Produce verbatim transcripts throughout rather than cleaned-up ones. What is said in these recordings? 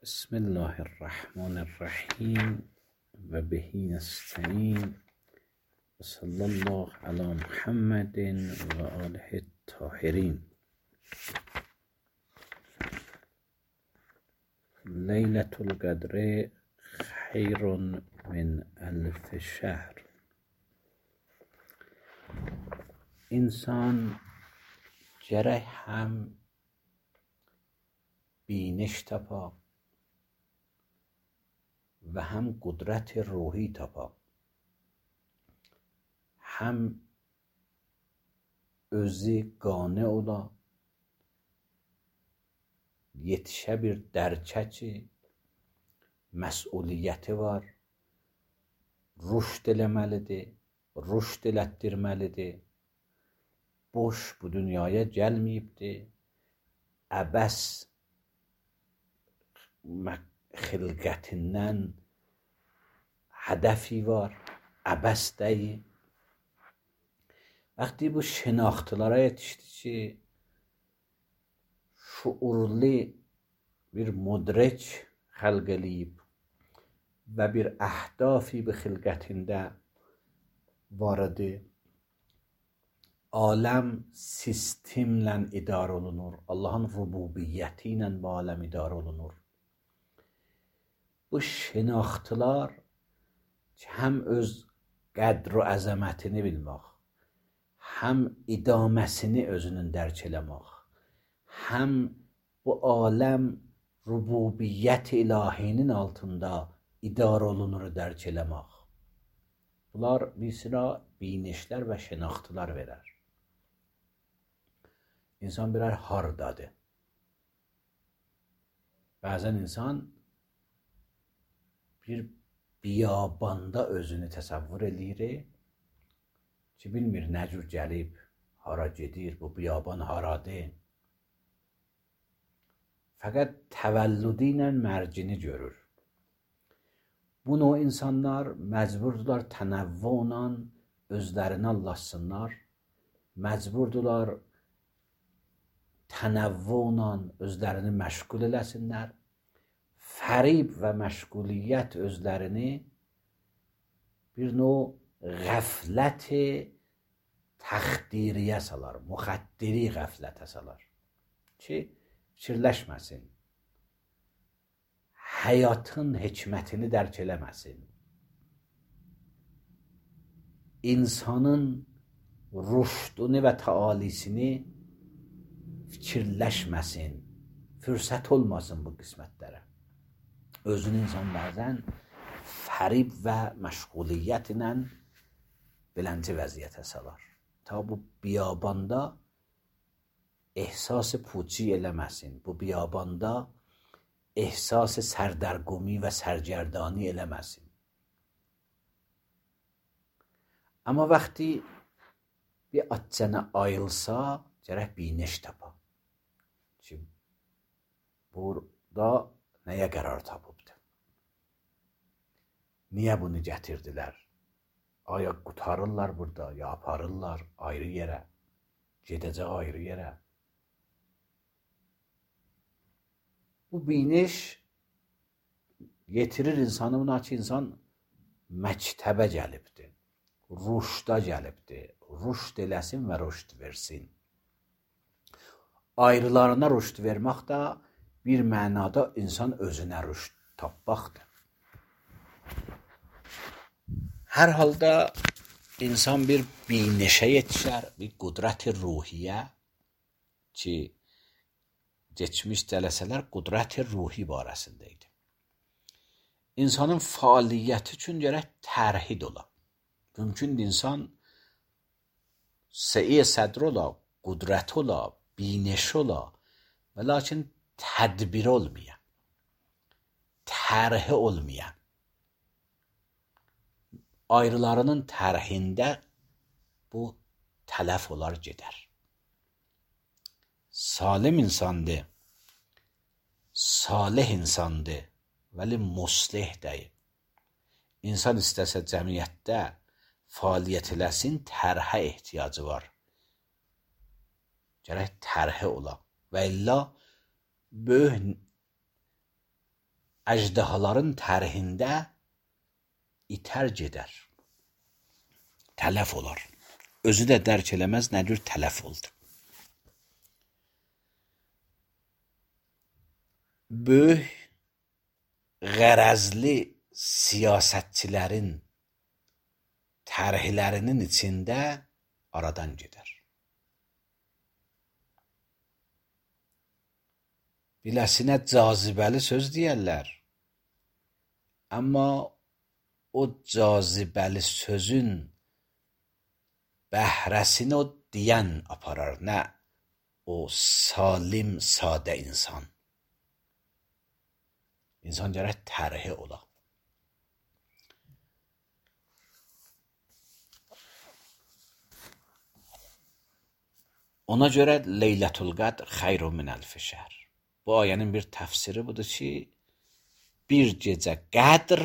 بسم الله الرحمن الرحیم و به نستعین و صلی الله علی محمد و آله الطاهرین. لیلة القدر خیر من الف شهر. انسان جره هم بینش تپا و هم قدرت روحی tapa, hem özü qane ola, yetişə bir dərçə ki, məsuliyyəti var, rüşd eləməlidir, rüşd elətdirməlidir, boş bu dünyaya gəlməyibdir, əbəs xilqətindən هدفی var, əbəs deyil. وقتی bu şinaxtılara yetişdi ki, şuurlu bir mudrik xəlq eləyib və bir əhdafi bir xilqətində var idi. Aləm sistemlə idarə olunur. Allahın rububiyyəti ilə bu aləm idarə olunur. Bu şinaxtılar ki, həm öz qədr və əzəmətini bilmək, həm idaməsini özünün dərk eləmək, həm bu aləm rububiyyət ilahinin altında idarə olunur dərk eləmək. Bunlar bir sıra binişlər və şinaxtılar verər. İnsan birer hardadır. Bəzən insan bir biyabanda özünü təsəvvür eləyir ki, bilmir nə cür gəlib, hara gedir, bu biyaban haradır. Fəqət təvəllüdü ilə mərcini görür. Bu növ insanlar məcburdular tənəvvülə özlərini allaşsınlar, məcburdular tənəvvülə özlərini məşğul eləsinlər, fərib və məşğuliyyət özlərini bir növ qəflət təxdiriyə salar, müxəddiri qəflətə salar ki, fikirləşməsin, həyatın hikmətini dərk eləməsin, insanın rüşdünü və təalisini fikirləşməsin, fürsət olmasın bu qismətlərə. Özünü insan bəzən fərib və məşğuliyyət ilə beləncə vəziyyətə salar. Ta bu biyabanda ehsas puçi eləməsin, bu biyabanda ehsas sərdərgumi və sərgərdani eləməsin. Amma vaxtı bir açana ayılsa, gərək biniş tapa. Ki, burada nəyə qərar tapıbdır? Niyə bunu gətirdilər? Aya qutarırlar burada, ya aparırlar ayrı yerə, gedəcək ayrı yerə. Bu biniş yetirir insanı buna ki, insan məktəbə gəlibdir, rüşda gəlibdir, rüşd eləsin və rüşd versin. Ayrılarına rüşd vermək də bir mənada insan özünə rüşd tapmaqdır. Hər halda insan bir binişə yetişər, bir qudrət-i ruhiyyə ki, geçmiş cələsələr qudrət-i ruhi barəsində idi. İnsanın fəaliyyəti üçün gərək tərhid ola. Mümkündür insan səi sədr ola, qudrət ola, biniş ola və lakin tədbir olmayan, tərhi olmayan, ayrılarının tərhində bu tələf olar gedər. Salim insandır, salih insandır, vəli muslih deyil. İnsan istəsə cəmiyyətdə fəaliyyət eləsin, tərhə ehtiyacı var. Gərək tərhi ola və illa böyük əjdahaların tərhində itər gedər. Tələf olar. Özü də dərk eləməz nə cür tələf oldu. Böyük qərəzli siyasətçilərin tərhlərinin içində aradan gedər. Biləsinə cazibəli söz deyərlər. Amma o cazibəli sözün bəhrəsini o deyən aparar, nə o salim, sadə insan. İnsan gərək tərhi ola. Ona görə Leylətul Qədr xeyru min əlfi şəhr. Bu ayənin bir təfsiri budur ki, bir gecə qədr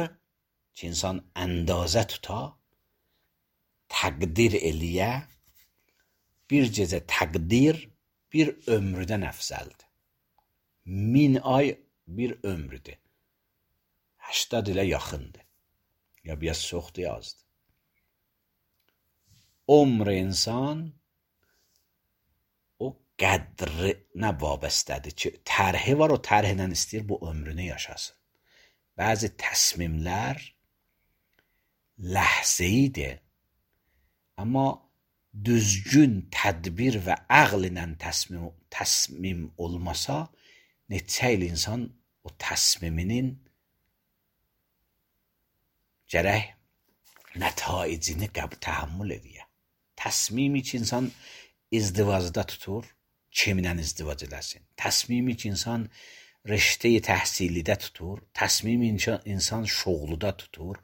ki, insan əndazə tuta, təqdir eləyə, bir gecə təqdir bir ömrüdən əfzəldir. Min ay bir ömrüdür. Həştad ilə yaxındır. Ya biraz çoxdur, ya azdır. Ömr insan o qədrinə vabəstədir ki, tərhi var, o tərhinə istəyir bu ömrünü yaşasın. Bəzi təsmimlər ləhzəyidir, amma düzgün tədbir və əql ilə təsmim, təsmim olmasa, neçə il insan o təsmiminin gərək nətaicini qəbul təhəmmül edir. Təsmimi ki, insan izdivacda tutur, kimlə izdivac eləsin. Təsmimi ki, insan riştəyi təhsilidə tutur, təsmimi insan şoğluda tutur,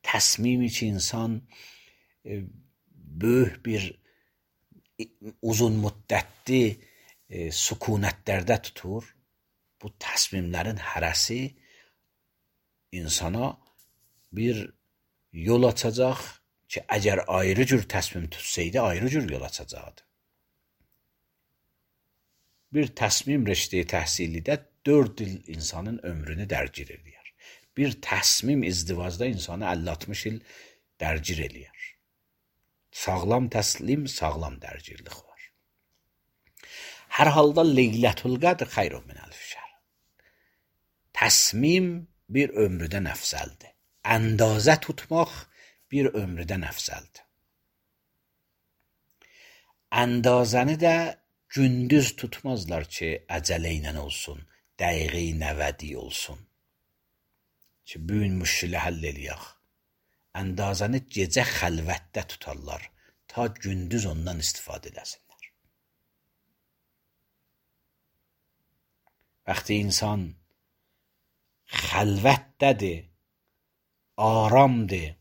təsmimi ki, insan e, böyük bir uzun müddətli e, sükunətlərdə tutur. Bu təsmimlərin hərəsi insana bir yol açacaq ki, əgər ayrı cür təsmim tutsaydı, ayrı cür yol açacaqdı. Bir təsmim riştəyi təhsilidə dörd il insanın ömrünü dərgir eləyər. Bir təsmim izdivacda insanı əlli altmış il dərgir eləyər. Sağlam təslim, sağlam dərgirlik var. Hər halda Leylətul Qədr xeyru min əlfi şəhr. Təsmim bir ömrüdən əfzəldir. Əndazə tutmaq bir ömrüdən əfzəldir. Əndazəni də gündüz tutmazlar ki, əcələ ilə olsun, dəqiqi nəvədi olsun. Ki, bugün müşkülə həll eləyək. Əndazəni gecə xəlvətdə tutarlar, ta gündüz ondan istifadə edəsinlər. Vaxtı insan xəlvətdədir, aramdır,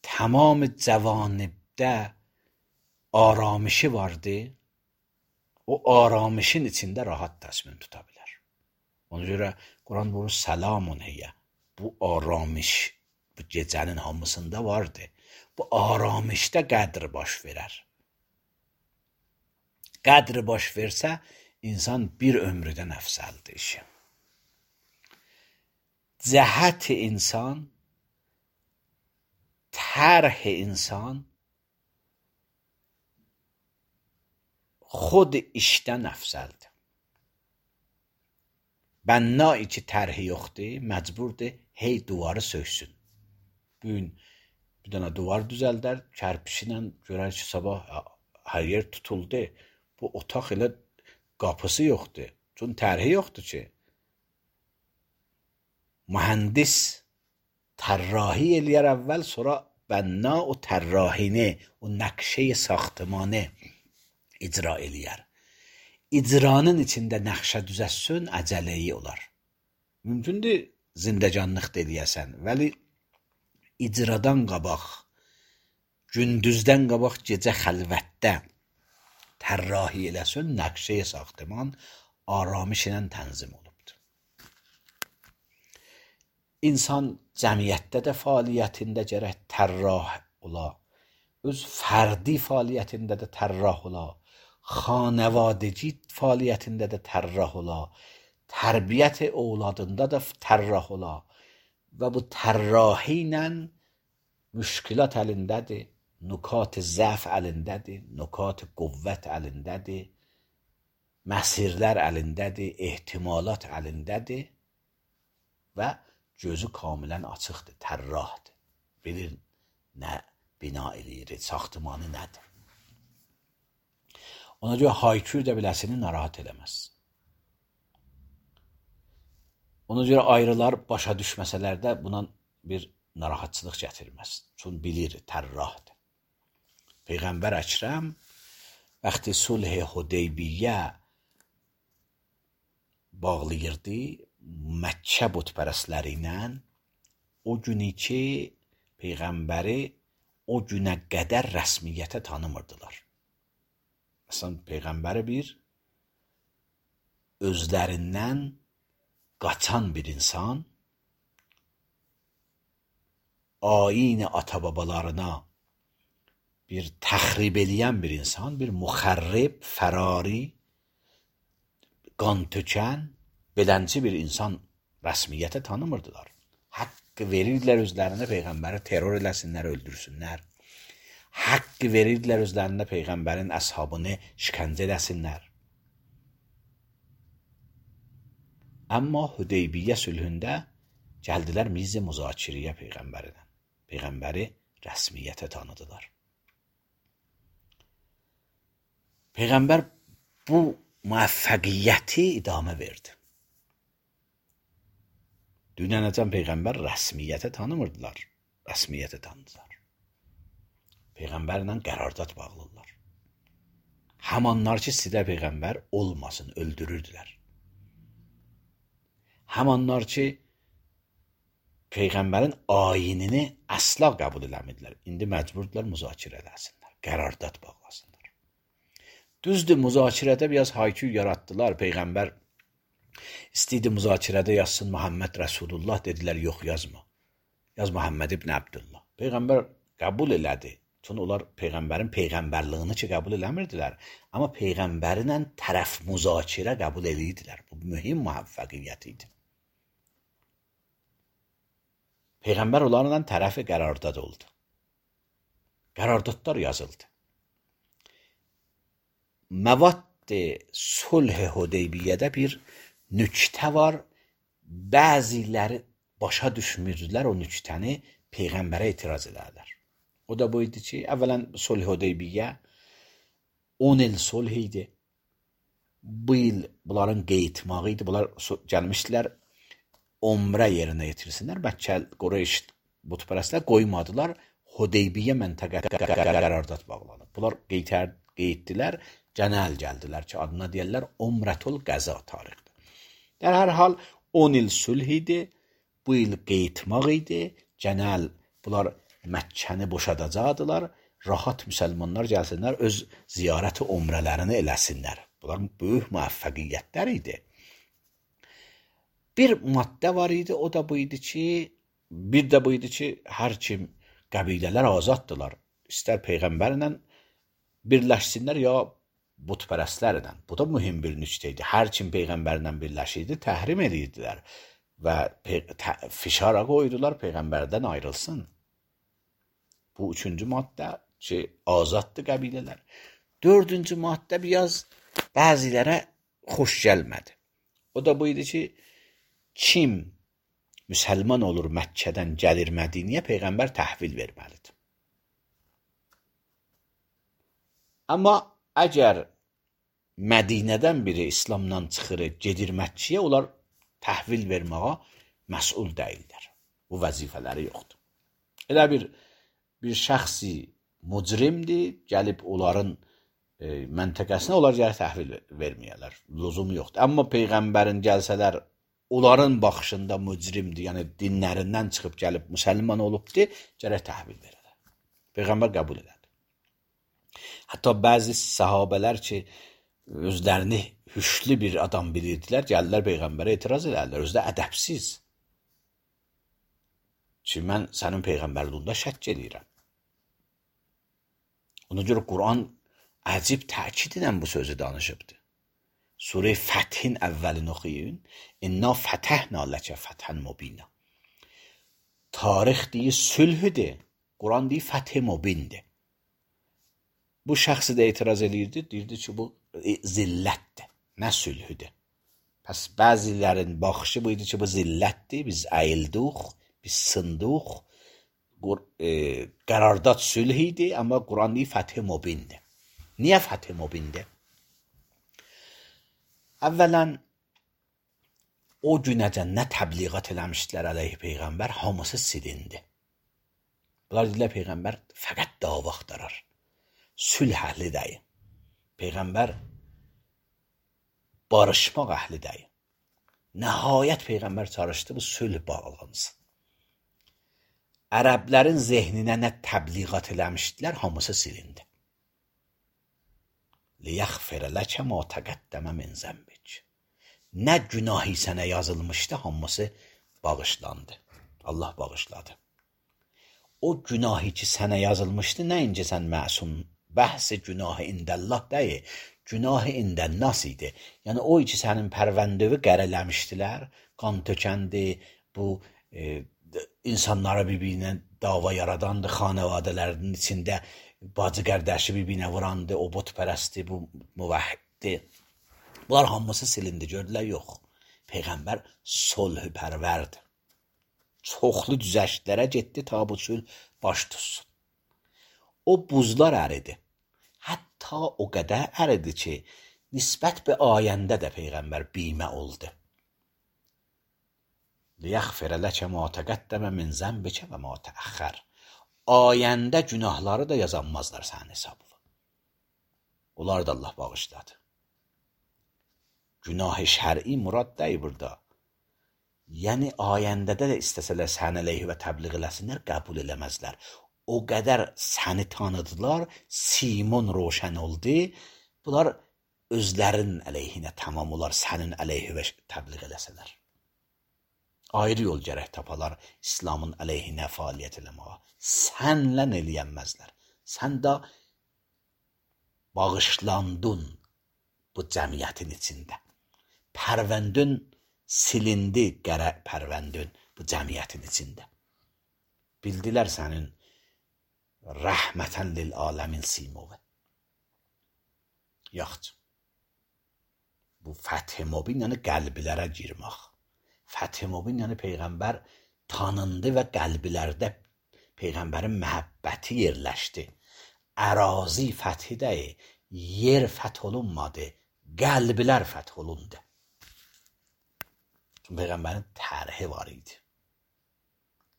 tamam cəvanibdə aramışı vardır, o aramışın içində rahat təsmin tuta bilər. Ona görə Quran buyurur, salamun heyyə. Bu aramış, bu gecənin hamısında vardır. Bu aramışda qədr baş verər. Qədr baş versə, insan bir ömrüdən əfzəldir işi. Cəhət-i insan, tərh-i insan xod işdən əfzəldir. Bənnai ki, tərhi yoxdur, məcburdur, hey duvarı söksün. Bugün bir dənə duvar düzəldər, kərpişinlə görər ki, sabah hər yer tutuldu. Bu otaq elə qapısı yoxdur. Çünki tərhi yoxdur ki. Mühəndis tərrahi eləyər əvvəl, sonra bənna o tərrahini, o nəqşəyi saxtımanı icra eləyər. İcranın içində nəqşə düzəssün, əcələyi olar. Mümkündür zindəcanlıq eləyəsən, vəli icradan qabaq, gündüzdən qabaq gecə xəlvətdə tərrahi eləsin, nəqşəyi saxtıman aramış ilə tənzim olubdur. İnsan cəmiyyətdə də fəaliyyətində gərək tərrah ola, öz fərdi fəaliyyətində də tərrah ola, xanəvadəci fəaliyyətində də tərrah ola, tərbiyyət evladında da tərrah ola və bu tərrahi ilə müşkilat əlindədir, nukat zəf əlindədir, nukat qüvvət əlindədir, məsirlər əlindədir, ehtimalat əlindədir və gözü kamilən açıqdır, tərrahdır. Bilir nə bina eləyir, saxtımanı nədir. Ona görə haykür də biləsini narahat eləməz. Ona görə ayrılar başa düşməsələr də buna bir narahatçılıq gətirməz. Çünki bilir, tərrahdır. Peyğəmbər Əkrəm vaxtı sulh Hudeybiyyə bağlayırdı Məkkə bütpərəstləri ilə, o günü ki Peyğəmbəri o günə qədər rəsmiyyətə tanımırdılar. Məsələn, Peyğəmbəri bir özlərindən qaçan bir insan, ayini ata-babalarına bir təxrib eləyən bir insan, bir müxərrib, fərari, qan tökən, belənci bir insan rəsmiyyətə tanımırdılar. Haqqı verirdilər özlərinə Peyğəmbəri terror eləsinlər, öldürsünlər. Haqqı verirdilər özlərində Peyğəmbərin əshabını şikəncə eləsinlər. Amma Hudeybiyyə sülhündə gəldilər miz-i müzakirəyə Peyğəmbərindən. Peyğəmbəri rəsmiyyətə tanıdılar. Peyğəmbər bu müvəffəqiyyəti idamə verdi. Dünyanəcən Peyğəmbər rəsmiyyətə tanımırdılar, rəsmiyyətə tanıdılar. Peyğəmbərlə qərardat bağlıdırlar. Həmanlar ki, sizdə Peyğəmbər olmasın, öldürürdülər. Həmanlar ki, Peyğəmbərin ayinini əsla qəbul eləmirdilər. İndi məcburdular müzakirə eləsinlər, qərardat bağlasınlar. Düzdür, müzakirədə biraz haykü yaratdılar. Peyğəmbər istəyirdi müzakirədə yazsın Muhammed Rasulullah, dedilər, yox yazma. Yaz Muhammed ibn Abdullah. Peyğəmbər qəbul elədi. Çünki onlar Peyğəmbərin Peyğəmbərliyini ki, qəbul eləmirdilər. Amma Peyğəmbərinlə tərəf müzakirə qəbul edirdilər. Bu mühüm müvəffəqiyyət idi. Peyğəmbər onlarla tərəfi qərardad oldu. Qərardadlar yazıldı. Məvad sulh Hudeybiyyədə bir nüktə var. Bəziləri başa düşmürdülər o nüktəni, Peyğəmbərə etiraz edərlər. O da bu idi ki, əvvələn sulh Hudeybiyyə on il sulh idi. Bu il bunların qeytmağı idi. Bunlar gəlmişdilər, umrə yerinə yetirsinlər. Məkkə Qureyş bütpərəstlər qoymadılar. Hudeybiyyə məntəqə qərardat bağlanıb. Bunlar qeytdilər, cənəl gəldilər ki, adına deyərlər Umrətul Qəza tarixdə. در hər hal on il sulh idi. Bu il qeytmaq idi. Cənəl bunlar Məkkəni boşadacaqdılar, rahat müsəlmanlar gəlsinlər, öz ziyarəti umrələrini eləsinlər. Bunların böyük müvəffəqiyyətlər idi. Bir maddə var idi, o da bu idi ki, bir də bu idi ki, hər kim qəbilələr azaddılar. İstər Peyğəmbərlə birləşsinlər, ya bütpərəstlərlə. Bu da mühüm bir nüktə idi. Hər kim Peyğəmbərlə birləşirdi, təhrim edirdilər və fişara qoydular, Peyğəmbərdən ayrılsın. Bu üçüncü maddə ki, azaddır qəbilələr. Dördüncü maddə biraz bəzilərə xoş gəlmədi. O da bu idi ki, kim müsəlman olur Məkkədən gəlir Mədiniyə, Peyğəmbər təhvil verməlidir. Amma əgər Mədinədən biri İslamdan çıxır, gedir Məkkəyə, onlar təhvil verməyə məsul deyirlər. Bu vəzifələri yoxdur. Elə bir bir şəxsi mücrimdir, gəlib onların e, məntəqəsinə onlar gəlir təhvil verməyərlər. Lüzumu yoxdur. Amma Peyğəmbərin gəlsələr, onların baxışında mücrimdir, yəni dinlərindən çıxıb gəlib müsəlman olubdur, gərək təhvil verərlər. Peyğəmbər qəbul elədi. Hətta bəzi səhabələr ki, özlərini hüşlü bir adam bilirdilər, gəldilər Peyğəmbərə etiraz edərlər, özdə ədəbsiz. Ki, mən sənin Peyğəmbərliyində şəkk edirəm. Ona görə Quran əcib təkid edən bu sözü danışıbdır. Sure Fəthin əvvəlini oxuyun. İnna fətəhna ləkə fətən mubina. Tarix deyir sülhüdür. Quran deyir fəth mubindir. Bu şəxsi də etiraz edirdi. Deyirdi ki, bu zillətdir. Nə sülhüdür. Pəs bəzilərin baxışı bu idi ki, bu zillətdir. Biz əyildik, biz sındıq. E, qərardad sülh idi, amma Quran deyir fəth mubindir. Niyə fəth mubindir? Əvvələn, o günəcən nə təbliğat eləmişdilər əleyhi Peyğəmbər, hamısı silindi. Bunlar dedilər, Peyğəmbər fəqət dava axtarar. Sülh əhli deyil. Peyğəmbər barışmaq əhli deyil. Nəhayət Peyğəmbər çalışdı, bu sülh bağlansın. Ərəblərin zehninə nə təbliğat eləmişdilər, hamısı silindi. لِيَغْفِرَ لَكَ مَا تَقَدَّمَ مِنْ ذَنْبِكَ. Nə günahı sənə yazılmışdı, hamısı bağışlandı. Allah bağışladı. O günahı ki sənə yazılmışdı, nəinci sən məsum, bəhs-i günahı indəllah deyil, günahı indənnas idi. Yəni o ki sənin pərvəndövi qərələmişdilər, qan tökəndi, bu e, insanlara bir-birinə dava yaradandı, xanəvadələrinin içində bacı qərdəşi bir-birinə vurandı, o botpərəsti, bu müvəhhiddi. Bunlar hamısı silindi, gördülər, yox. Peyğəmbər solhü pərvərdi. Çoxlu düzəştlərə getdi, ta bu sülh baş tutsun. O buzlar əridi. Hətta o qədər əridi ki, nisbət bir ayəndə də Peyğəmbər bimə oldu. لِيَغْفِرَ لَكَ مَا تَقَدَّمَ مِنْ ذَنْبِكَ وَمَا تَأَخَّرَ. Ayəndə günahları da yazanmazlar sənin hesabına. Onlar da Allah bağışladı. Günah-ı şər'i murad deyil burada. Yəni ayəndədə də istəsələr sən əleyhi və təbliğ eləsinlər, qəbul eləməzlər. O qədər səni tanıdılar, simun roşən oldu. Bunlar özlərin əleyhinə tamam olar, sənin əleyhi və təbliğ eləsələr. Ayrı yol gərək tapalar İslamın əleyhinə fəaliyyət eləməyə. Sənlə eləyənməzlər. Sən də bağışlandın bu cəmiyyətin içində. Pərvəndün silindi qərə pərvəndün bu cəmiyyətin içində. Bildilər sənin rəhmətən lil aləmin simovu. Yaxşı. Bu fəth mubin yəni qəlblərə girmək. Fəth mubin yəni Peyğəmbər tanındı və qəlblərdə Peyğəmbərin məhəbbəti yerləşdi. Ərazi fəthi deyil, yer fəth olunmadı, qəlblər fəth olundu. Çünki Peyğəmbərin tərhi var idi.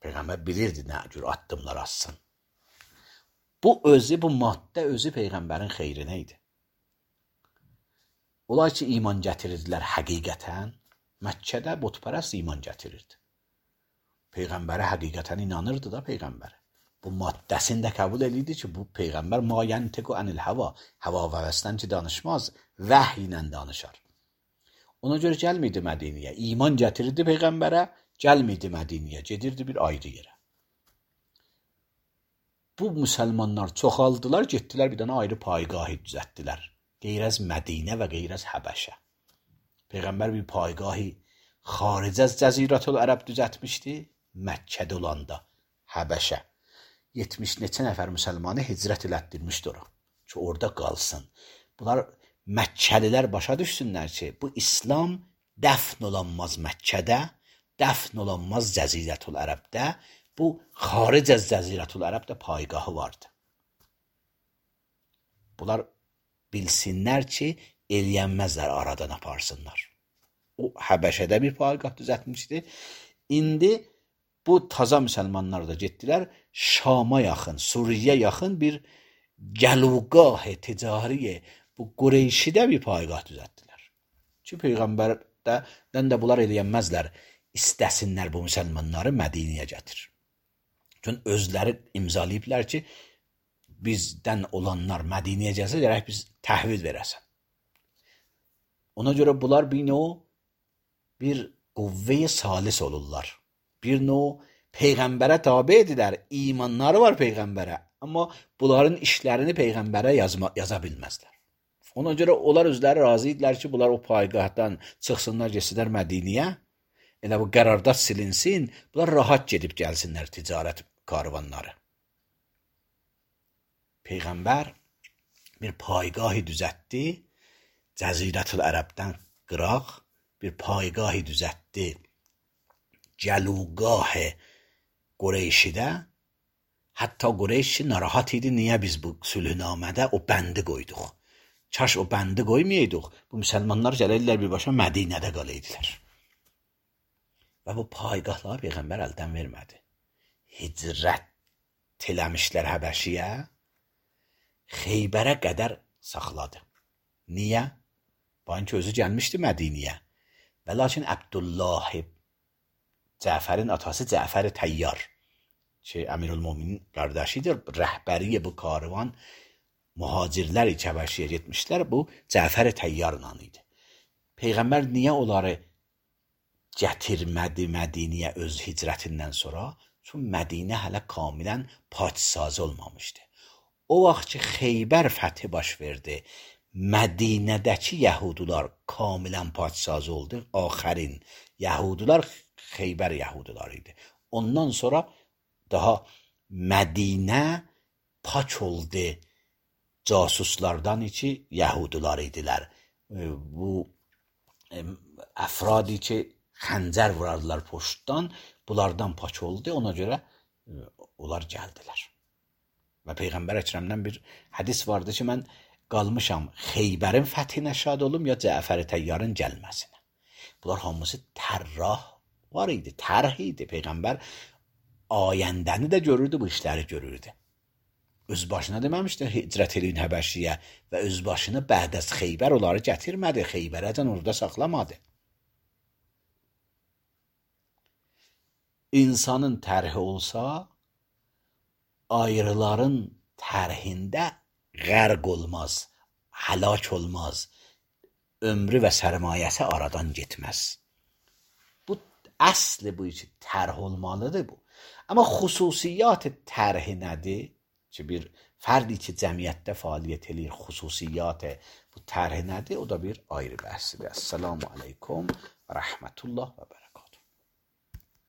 Peyğəmbər bilirdi nə cür addımlar atsın. Bu özü, bu maddə özü Peyğəmbərin xeyrinə idi. Onlar ki, iman gətirirdilər həqiqətən, Məkkədə botpərəst iman gətirirdi. Peyğəmbərə həqiqətən inanırdı da Peyğəmbər. Bu maddəsini də qəbul edirdi ki, bu Peyğəmbər ma yantiqu anil hava, hava və həvəsdən ki danışmaz, vəhy ilə danışar. Ona görə gəlmirdi Mədiniyə. İman gətirirdi Peyğəmbərə, gəlmirdi Mədiniyə, gedirdi bir ayrı yerə. Bu müsəlmanlar çoxaldılar, getdilər bir dənə ayrı paygahı düzəltdilər. Qeyrəz Mədinə və qeyrəz Həbəşə. Peyğəmbər bir paygahı xaricəz Cəzirətül Ərəb düzəltmişdi, Məkkədə olanda, Həbəşə. yetmiş neçə nəfər müsəlmanı hicrət elətdirmişdi ora ki, orada qalsın. Bunlar Məkkəlilər başa düşsünlər ki, bu İslam dəfn olanmaz Məkkədə, dəfn olanmaz Cəzirətül Ərəbdə, bu xaricəz Cəzirətül Ərəbdə paygahı vardı. Bunlar bilsinlər ki, eləyənməzlər, aradan aparsınlar. O Həbəşədə bir paygah düzəltmişdi. İndi bu taza müsəlmanlar da getdilər, Şama yaxın, Suriyə yaxın bir gəlugah ticari, bu Qureyşidə bir paygah düzəltdilər. Ki, Peyğəmbərdən də bunlar eləyənməzlər, istəsinlər bu müsəlmanları Mədiniyə gətir. Çünki özləri imzalayıblar ki, bizdən olanlar Mədiniyə gəlsə, gərək biz təhvil verəsən. Ona görə bunlar bir növ bir qüvvə-i salis olurlar. Bir növ Peyğəmbərə tabi edirlər, imanları var Peyğəmbərə, amma bunların işlərini Peyğəmbərə yazma, yaza bilməzlər. Ona görə onlar özləri razı idilər ki, bunlar o paygahdan çıxsınlar, getsinlər Mədiniyə. Elə bu qərardat silinsin, bunlar rahat gedib gəlsinlər ticarət karvanları. Peyğəmbər bir paygahı düzəltdi, Cəzirətül Ərəbdən qıraq bir paygahı düzəltdi. Gəlugah Qureyşidə, hətta Qureyşi narahat idi, niyə biz bu sülhnamədə o bəndi qoyduq? Kaş o bəndi qoymayaydıq, bu müsəlmanlar gəlirlər birbaşa Mədinədə qalaydılar. Və bu paygahları Peyğəmbər əldən vermədi. Hicrət eləmişlər Həbəşiyə, Xeybərə qədər saxladı. Niyə? Bankı özü gəlmişdi Mədiniyə. Və lakin Əbdullah Cəfərin atası Cəfər Təyyar ki, Əmirülmüminin qardaşıdır, rəhbəri bu karvan mühacirlər iki Həbəşiyə getmişlər, bu Cəfər Təyyarla idi. Peyğəmbər niyə onları gətirmədi Mədiniyə öz hicrətindən sonra? Çünki Mədinə hələ kamilən paçsazı olmamışdı. O vaxt ki, Xeybər fəthi baş verdi, Mədinədəki Yəhudular kamilən paçsazı oldu, axərin Yəhudular Xeybər Yəhuduları idi. Ondan sonra daha Mədinə paç oldu casuslardan ki, Yəhudular idilər. Bu əfradi ki, xəncər vurardılar poştdan, bunlardan paç oldu, ona görə onlar gəldilər. Və Peyğəmbər Əkrəmdən bir hədis vardı ki, mən qalmışam Xeybərin fəthinə şad olum, ya Cəfər Təyyarın gəlməsinə. Bunlar hamısı tərrah var idi, tərh idi. Peyğəmbər ayəndəni də görürdü, bu işləri görürdü. Öz başına deməmişdi hicrət eləyin Həbəşiyə və öz başını bəd az Xeybər onları gətirmədi, Xeybərəcən orada saxlamadı. İnsanın tərhi olsa, ayrıların tərhində qərq olmaz, həlak olmaz, ömrü və sərmayəsi aradan getməz. Bu əsli bu için tərh olmalıdır bu. Amma xüsusiyyat tərhi nədir? Ki, bir fərdi ki, cəmiyyətdə fəaliyyət eləyir, xüsusiyyat bu tərhi nədir? O da bir ayrı bəhsidir. Əssalamu aleykum və rəhmətullah və bərəkətuhu.